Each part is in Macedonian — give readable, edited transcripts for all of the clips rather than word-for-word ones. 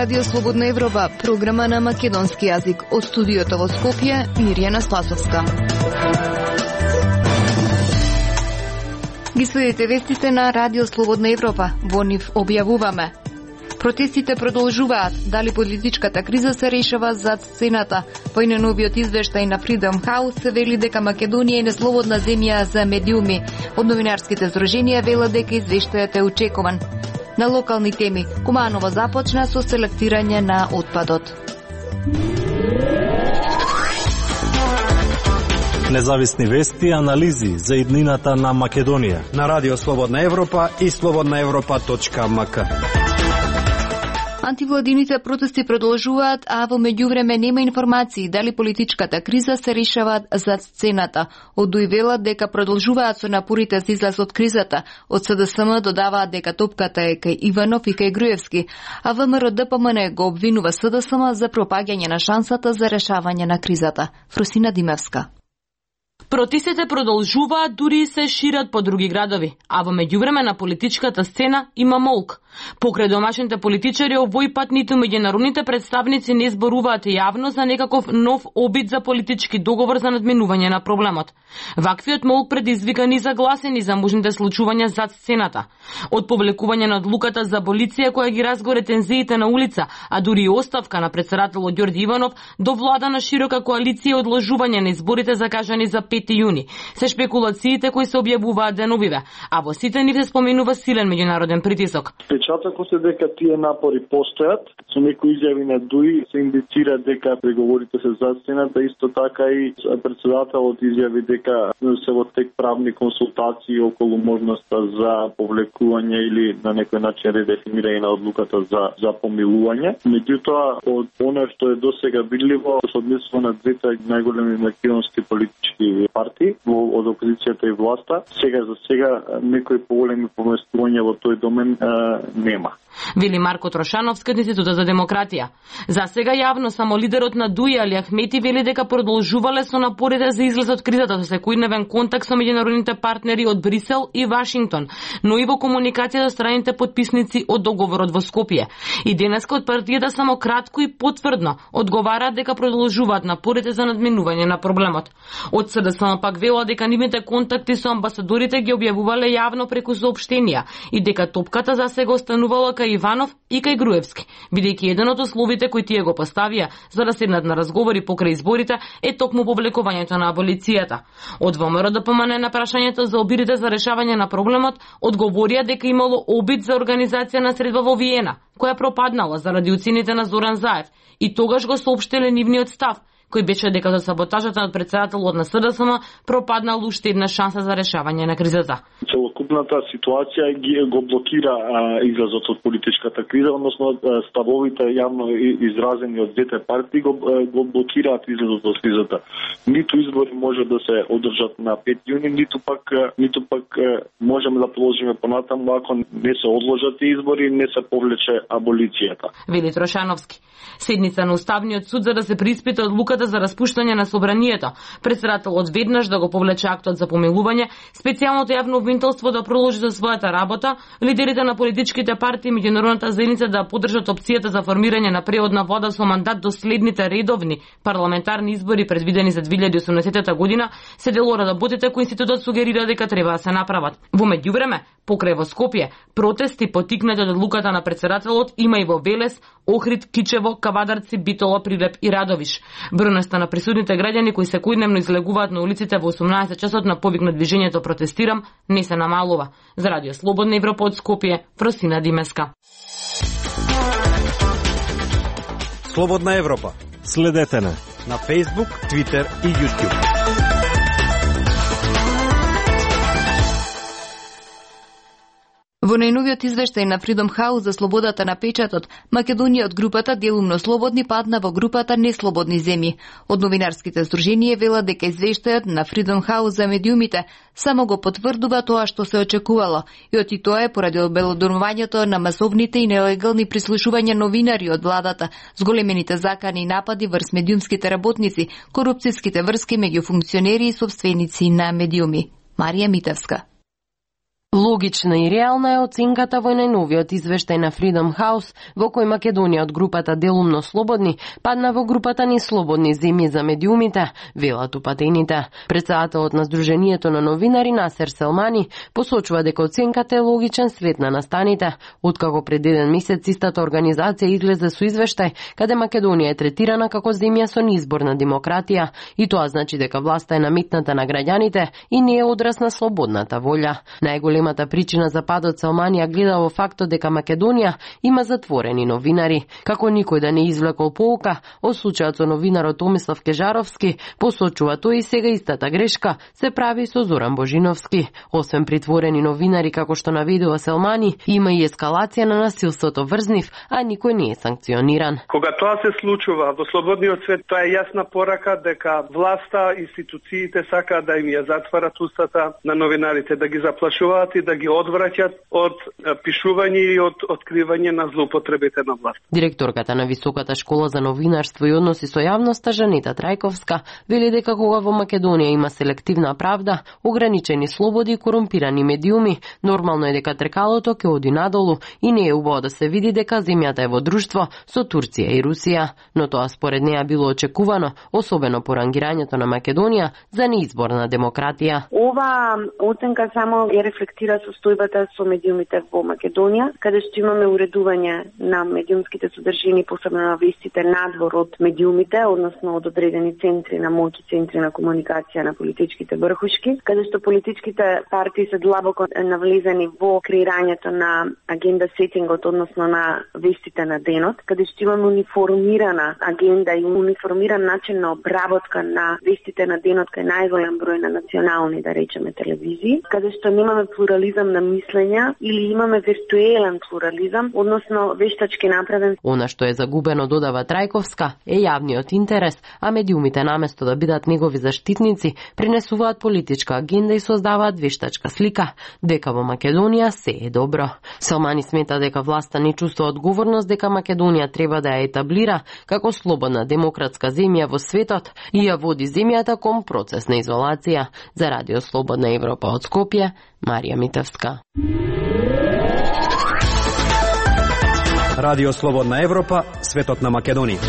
Радио Слободна Европа, програма на македонски јазик. Од студиото во Скопје, Мирјана Спасовска. Ги следите вестите на Радио Слободна Европа. Во нив објавуваме: протестите продолжуваат. Дали политичката криза се решава зад сцената? Во најновиот извештај на Freedom House се вели дека Македонија е неслободна земја за медиуми. Од новинарските здруженија велат дека извештајот е очекуван. На локални теми, Куманово започна со селектирање на отпадот. Независни вести и анализи за иднината на Македонија на Радио Слободна Европа и slobodnaevropa.mk. Антивладините протести продолжуваат, а во меѓувреме нема информации дали политичката криза се решаваат зад сцената. Од ДУИ велат дека продолжуваат со напорите за излаз од кризата. Од СДСМ додаваат дека топката е кај Иванов и кај Груевски, а ВМРО ДПМН го обвинува СДСМ за пропаѓање на шансата за решавање на кризата. Фросина Димевска. Протестите продолжуваат, дури и се шират по други градови, а во меѓувреме на политичката сцена има молк. Покрај домашните политичари овој пат ниту меѓународните представници не зборуваат јавно за некаков нов обид за политички договор за надминување на проблемот. Ваквиот молк предизвика незагласени за можните случувања зад сцената. Од повлекување на одлуката за аболиција која ги разгоре тензиите на улица, а дури и оставка на претседателот Ѓорѓе Иванов, до влада на широка коалиција и одложување на изборите закажани за 5 јуни. Се шпекулациите кои се објавуваат деновиве, а во сите нив се споменува силен меѓународен притисок. Печатокот е дека тие напори постојат, со некои изјави на ДУИ се индицира дека преговорите се зад сцената, исто така и претседателот изјави дека се во тек правни консултации околу можноста за повлекување или на некој начин редефинирање на одлуката за помилување. Меѓутоа, од она што е досега видливо, со однесува на двете најголеми македонски политички партии од опозицијата и власта, за сега некои поголеми поместувања во тој домен нема. Вели Марко Трошановски од Институтот за демократија. За сега јавно само лидерот на ДУИ Али Ахмети вели дека продолжувале со напорите за излез од кризата со секојдневен контакт со меѓународните партнери од Брисел и Вашингтон, но и во комуникација со страните потписници од договорот во Скопје. И денеска од партијата само кратко и потврдно одговараат дека продолжуваат напорите за надминување на проблемот. Од СДСМ пак велат дека нивните контакти со амбасадорите ги објавувале јавно преку соопштенија и дека топката за сега останувала кај Иванов и кај Груевски, бидејќи еден од условите кои тие го поставија за да седнат на разговори покрај изборите е токму повлекувањето на аболицијата. Од ВМРО ДПМН на прашањето за обидите за решавање на проблемот одговорија дека имало обид за организација на средба во Виена, која пропаднала заради уцените на Зоран Заев, и тогаш го соопштиле нивниот став, кој беше дека за саботажата од претседателот на СДСМ пропаднал уште една шанса за решавање на кризата. Целокупната ситуација го блокира излазот од политичката криза, односно ставовите јавно изразени од двете партии го блокираат излазот од кризата. Ниту избори може да се одржат на 5 јуни, ниту пак можеме да продолжиме понатаму ако не се одложат избори, не се повлече аболицијата. Вели Трошановски. Седница на Уставниот суд за да се преиспита одлуката за распуштање на собранието. Претседателот веднаш да го повлече актот за помилување, специјалното јавно обвинителство да продолжи за својата работа, лидерите на политичките партии и меѓународната заедница да поддржат опцијата за формирање на преодна влада со мандат до следните редовни парламентарни избори предвидени за 2018 година, се дел од работите кои институтот сугерира дека треба да се направат. Во меѓувреме, покрај во Скопје, протести поттикнати од одлуката на претседателот има и во Велес, Охрид, Кичево, Кавадарци, Битола, Прилеп и Радовиш. Бројноста на присутните граѓани кои секојдневно излегуваат на улиците во 18 часот на повик на движењето Протестирам не се намалува. За Радио Слободна Европа од Скопје, Фросина Димеска. Слободна Европа. Следете на Facebook, Twitter и YouTube. Во најновиот извештај на Freedom House за слободата на печатот, Македонија од групата делумно слободни падна во групата неслободни земји. Од новинарските здруженија велат дека извештајот на Freedom House за медиумите само го потврдува тоа што се очекувало, и тоа е поради обелодонувањето на масовните и нелегални прислушувања новинари од владата, зголемените закани и напади врз медиумските работници, корупцијските врски меѓу функционери и собственици на медиуми. Марија Митевска. Логична и реална е оценката во најновиот извештај на Freedom House, во кој Македонија од групата делумно слободни падна во групата неслободни земји за медиумите, велат упатените. Претседателот на Сдруженијето на новинари Насер Селмани посочува дека оценката е логичен след на настаните, откако пред еден месец истата организација излезе со извештај каде Македонија е третирана како земја со неизборна демократија и тоа значи дека власта е наметната на граѓаните и не е одраз на слободната волја. Најголемата причина за падот Селмани гледа во фактот дека Македонија има затворени новинари. Како никој да не извлекол поука од случајот со новинарот Томислав Кежаровски, посочува тој и сега истата грешка се прави со Зоран Божиновски. Освен притворени новинари, како што наведува Селмани, има и ескалација на насилството врз нив, а никој не е санкциониран. Кога тоа се случува во слободниот свет, тоа е јасна порака дека власта, институциите сакаат да им ја затварат устата на новинарите, да ги заплашуваат и да ги одвраќат од пишување и од откривање на злоупотребите на власт. Директорката на Високата школа за новинарство и односи со јавноста Жанета Трајковска вели дека кога во Македонија има селективна правда, ограничени слободи и корумпирани медиуми, нормално е дека тркалото ќе оди надолу и не е убаво да се види дека земјата е во друштво со Турција и Русија, но тоа според неа било очекувано, особено по рангирањето на Македонија за неизборна демократија. Ова оценка само ја рефлектира состојбата со медиумите во Македонија, каде што имаме уредување на медиумските содржини, посебно на вестите надвор од медиумите, односно од одредени центри на моќ и центри на комуникација на политичките врхушки, каде што политичките партии се длабоко навлезени во креирањето на агенда сетингот, односно на вестите на денот, каде што имаме униформирана агенда и униформиран начин на обработка на вестите на денот кај најголем број на национални, да речеме, телевизии, каде што немаме плурализам на мислења или имаме виртуелен плурализам, односно вештачки направен. Она што е загубено, додава Трајковска, е јавниот интерес, а медиумите наместо да бидат негови заштитници, пренесуваат политичка агенда и создаваат вештачка слика дека во Македонија се е добро. Селмани смета дека власта не чувствува одговорност дека Македонија треба да ја етаблира како слободна демократска земја во светот и ја води земјата кон процес на изолација. За Радио Слободна Европа од Скопје, Марија Митевска. Радио Слободна Европа, светот на Македонија.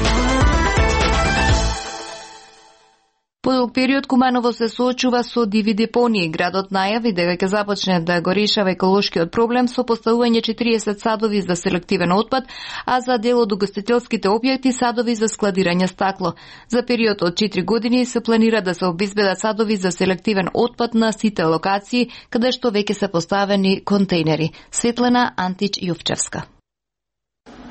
Подолг период Куманово се соочува со диви депонии. Градот најави дека ќе започне да го решава еколошкиот проблем со поставување 40 садови за селективен отпад, а за дел од угостителските објекти садови за складирање стакло. За период од 4 години се планира да се обезбедат садови за селективен отпад на сите локации каде што веќе се поставени контейнери. Светлана Антич Јовчевска.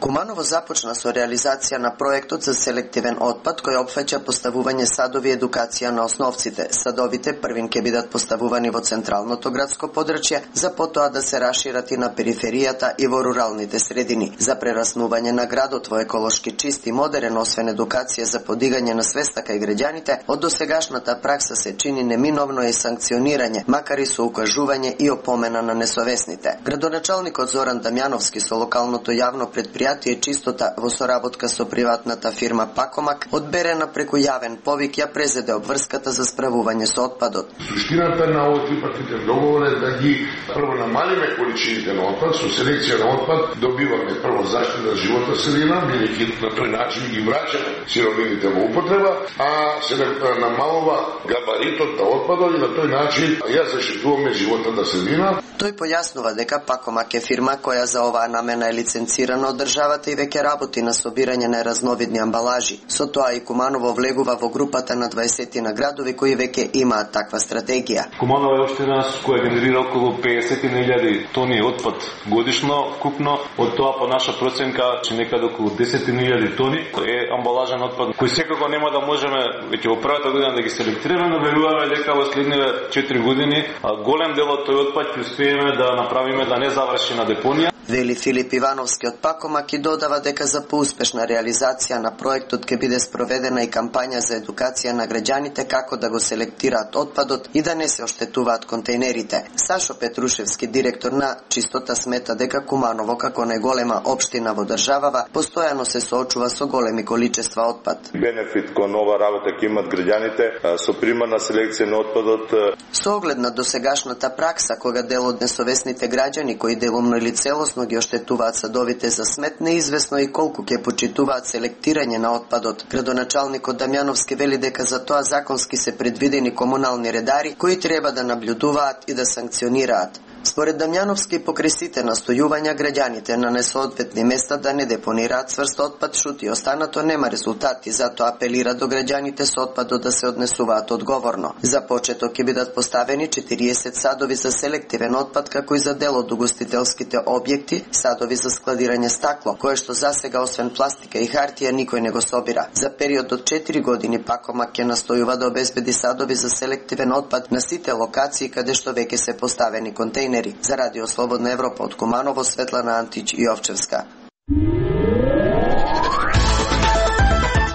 Куманово започна со реализација на проектот за селективен отпад кој опфаќа поставување садови и едукација на основците. Садовите првин ќе бидат поставувани во централното градско подрачје, за потоа да се рашират и на периферијата и во руралните средини. За прераснување на градот во еколошки чист и модерен, освен едукација за подигање на свеста кај граѓаните, од досегашната пракса се чини неминовно и санкционирање, макар и со укажување и опомена на несовесните. Градоначалникот Зоран Дамјановски со локалното јавно предпријатие Чистота во соработка со приватната фирма Пакомак одберена преку јавен повик ја презеде обврската за справување со отпадот. Суштината на овој трипартитен договор е да ги прво намалиме количините на отпад, со селекција на отпад добиваме прво заштита на животна средина, бидејќи на тој начин ги враќаме сировините во употреба, а се намалува габаритот на отпадот и на тој начин ја заштитуваме животната средина. Тој појаснува дека Пакомак е фирма која за оваа намена е лиценцирана од државата и веќе работи на собирање на разновидни амбалажи. Со тоа и Куманово влегува во групата на 20 на градови кои веќе имаат таква стратегија. Куманово е општина која генерира околу 50.000 тони отпад годишно вкупно, од тоа по наша проценка че некаде околу 10.000 тони е амбалажен отпад кој секако нема да можеме веќе во првата година да ги селектираме, но веруваме дека во следниве 4 години голем дел од тој отпад ќе успееме да направиме да не заврши на депонија. Вели Филип Ивановски од Пакомак и додава дека за поуспешна реализација на проектот ќе биде спроведена и кампања за едукација на граѓаните како да го селектираат отпадот и да не се оштетуваат контейнерите. Сашо Петрушевски, директор на Чистота, смета дека Куманово како најголема општина во државава постојано се соочува со големи количества отпад. Бенефит кон ова работа ќе имат граѓаните со примарна селекција на отпадот. Со оглед на досегашната пракса, кога дел од несовесните граѓани кои делумно или целосно ги оштетуваат садовите за смет, неизвестно и колку ќе почитуваат селектирање на отпадот. Градоначалникот Дамјановски вели дека за тоа законски се предвидени комунални редари кои треба да наблюдуваат и да санкционираат. Според Дамјановски, покрај сите настојувања граѓаните на несоодветни места да не депонираат цврст отпад, шути останато нема резултати, затоа апелира до граѓаните со отпадот да се однесуваат одговорно. За почеток ќе бидат поставени 40 садови за селективен отпад, како и за дел од угостителските објекти, садови за складирање стакло, кое што засега освен пластика и хартија никој не го собира. За период од 4 години Пакомак ќе настојува да обезбеди садови за селективен отпад на сите локации каде што веќе се поставени контейнери. За Радио Слободна Европа од Куманово, Светлана Антич и Овчевска.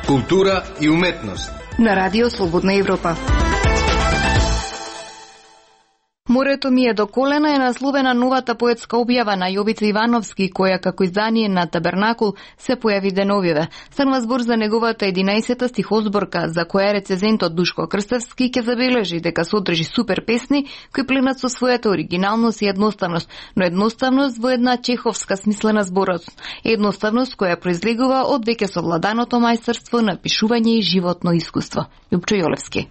Култура и уметност на Радио Слободна Европа. Морето ми е до колена е насловена новата поетска објава на Јовица Ивановски, која како издание на Табернакул се појави деновиве. Станува збор за неговата 11-та стихозборка, за која рецензентот Душко Крстевски ќе забележи дека содржи супер песни кои пленат со својата оригиналност и едноставност, но едноставност во една чеховска смислена зборост. Едноставност која произлегува од веќе совладаното мајсторство на пишување и животно искуство. Јупчо Јолевски.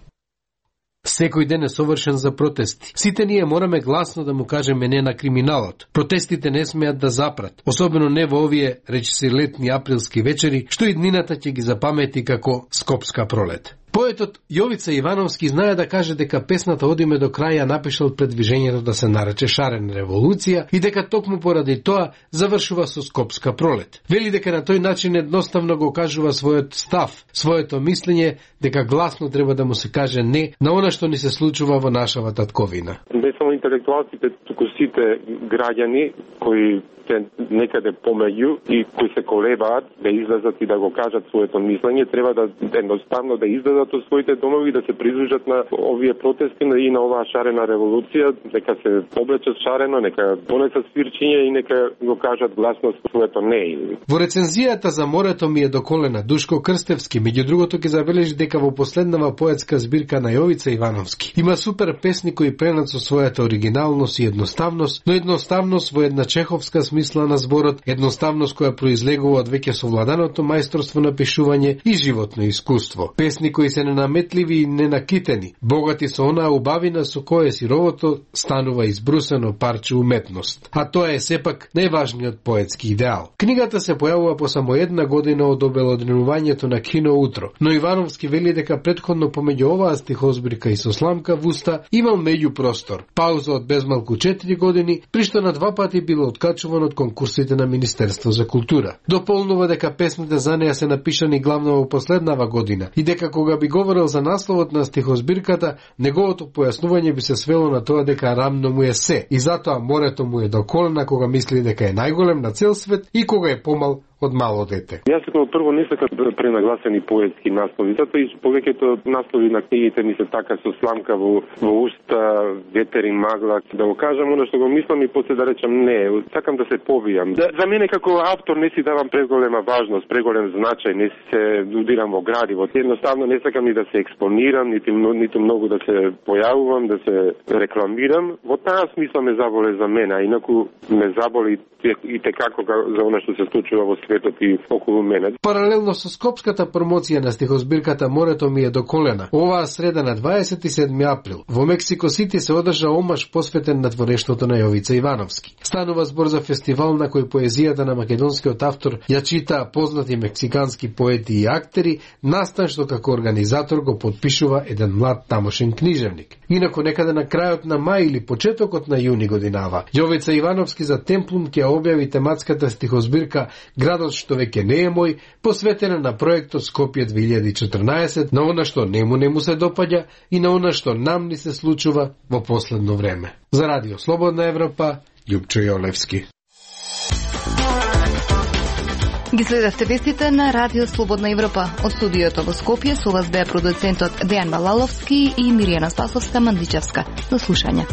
Секој ден е совршен за протести. Сите ние мораме гласно да му кажеме не на криминалот. Протестите не смеат да запрат, особено не во овие речиси летни априлски вечери, што и днината ќе ги запамети како Скопска пролет. Поетот Јовица Ивановски знае да каже дека песната одиме до крај ја напишал пред движењето да се нарече Шарена револуција и дека токму поради тоа завршува со Скопска пролет. Вели дека на тој начин едноставно го кажува својот став, своето мислење, дека гласно треба да му се каже не на она што ни се случува во нашава татковина. Не само интелектуалците, туку сите граѓани кои се некаде помеѓу и кои се колебаат да излезат и да го кажат своето мислење, треба да едноставно да излезат од своите домови, да се придружат на овие протести и на оваа шарена револуција, дека се облечат шарено, нека донесат свирчиња и нека го кажат гласно своето не. Во рецензијата за Морето ми е до колена, Душко Крстевски, меѓу другото ќе забележи дека во последнава поетска збирка на Јовица Ивановски има супер песни кои пленат со својата оригиналност и едноставност, но едноставност во една чеховска смисла на зборот, едноставност која произлегува од веќе совладаното мајсторство на пишување и животно искуство. Песни кои се ненаметливи и ненакитени, богати со онаа убавина со која сировото станува избрусено парче уметност. А тоа е сепак најважниот поетски идеал. Книгата се појавува по само една година од обелоденувањето на Кино утро, но Ивановски вели дека претходно помеѓу оваа стихозбирка и со сламка в уста имал меѓупростор, пауза од безмалку 4 години, при што на 2 пати било откачуван од конкурсите на Министерство за култура. Дополнува дека песните за неја се напишани главно во последнава година и дека кога би говорил за насловот на стихозбирката, неговото појаснување би се свело на тоа дека рамно му е се и затоа Морето му е до колена кога мисли дека е најголем на цел свет и кога е помал од мало дете. Јас како прво не сакам пренагласени поетски наслови, затоа и повеќето наслови на книгите ми се така со сламка во уста, ветер и магла, да го кажам оно што го мислам и после да речам не, сакам да се повијам. За мене како автор не си давам преголема важност, преголем значај, не се удирам во градиво. Едноставно не сакам ни да се експонирам, ниту многу да се појавувам, да се рекламирам. Во таа смисла ме заболе за мене, а инаку ме заболи и текако за она што се случува во светот и околу мене. Паралелно со скопската промоција на стихозбирката Морето ми е до колена, оваа среда на 27 април во Мексико Сити се одржа омаш посветен на творештвото на Јовица Ивановски. Станува збор за фестивал на кој поезијата на македонскиот автор ја чита познати мексикански поети и актери, настан што како организатор го подпишува еден млад тамошен книжевник. Инаку некаде на крајот на мај или почетокот на јуни годинава, Јовица Ивановски за Темплум ќе објави тематската стихозбирка Градот што веќе не е мој, посветена на проектот Скопје 2014, на она што не му се допаѓа и на она што нам ни се случува во последно време. За Радио Слободна Европа, Јупчо Јолевски. Ги следевте вестите на Радио Слободна Европа. Од студиото во Скопје со вас беа продуцентот Дејан Балаловски и Миријана Спасовска-Мандичевска. До слушање.